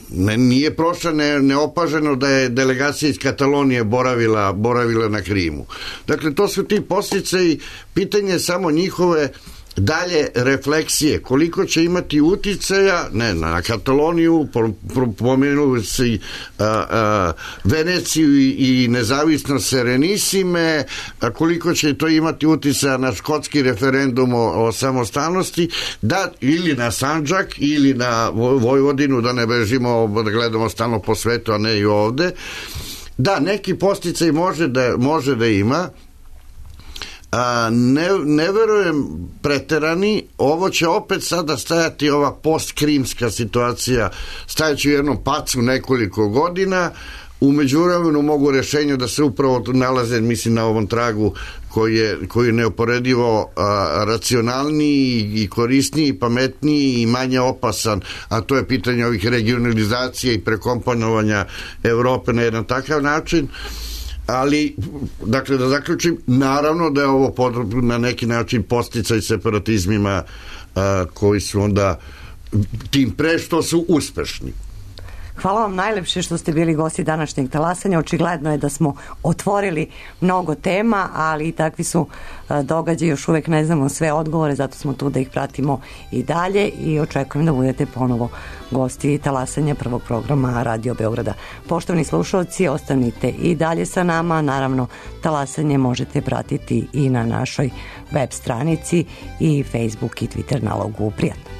Ne, nije prošla ne, neopaženo da je delegacija iz Katalonije boravila, boravila na Krimu. Dakle, to su ti posljedice i pitanje je samo njihove dalje refleksije. Koliko će imati uticaja, ne, na Kataloniju, pomenuli se a, a, Veneciju i, i nezavisnost Serenissime, a koliko će to imati uticaja na škotski referendum o, o samostalnosti, da, ili na Sandžak, ili na Vojvodinu, da ne bežimo, da gledamo stalno po svetu, a ne i ovde. Da, neki posticaj može da, može da ima, A, ne, ne verujem preterani, ovo će opet sada stajati ova postkrimska situacija, stajaći u jednom pacu nekoliko godina, u međuvremenu mogu rešenja da se upravo nalaze, mislim, na ovom tragu koji je, koji je neuporedivo a, racionalniji i korisniji, pametniji i manje opasan, a to je pitanje ovih regionalizacije i prekomponovanja Evrope na jedan takav način. Ali, dakle, da zaključim, naravno da je ovo podrobno na neki način posticaj separatizmima a, koji su onda tim pre što su uspešni. Hvala vam najlepše što ste bili gosti današnjeg talasanja. Očigledno je da smo otvorili mnogo tema, ali i takvi su događaji, još uvek ne znamo sve odgovore, zato smo tu da ih pratimo i dalje i očekujem da budete ponovo gosti talasanja prvog programa Radio Beograda. Poštovani slušalci, ostanite i dalje sa nama. Naravno, talasanje možete pratiti i na našoj web stranici i Facebook i Twitter nalogu. Prijatno.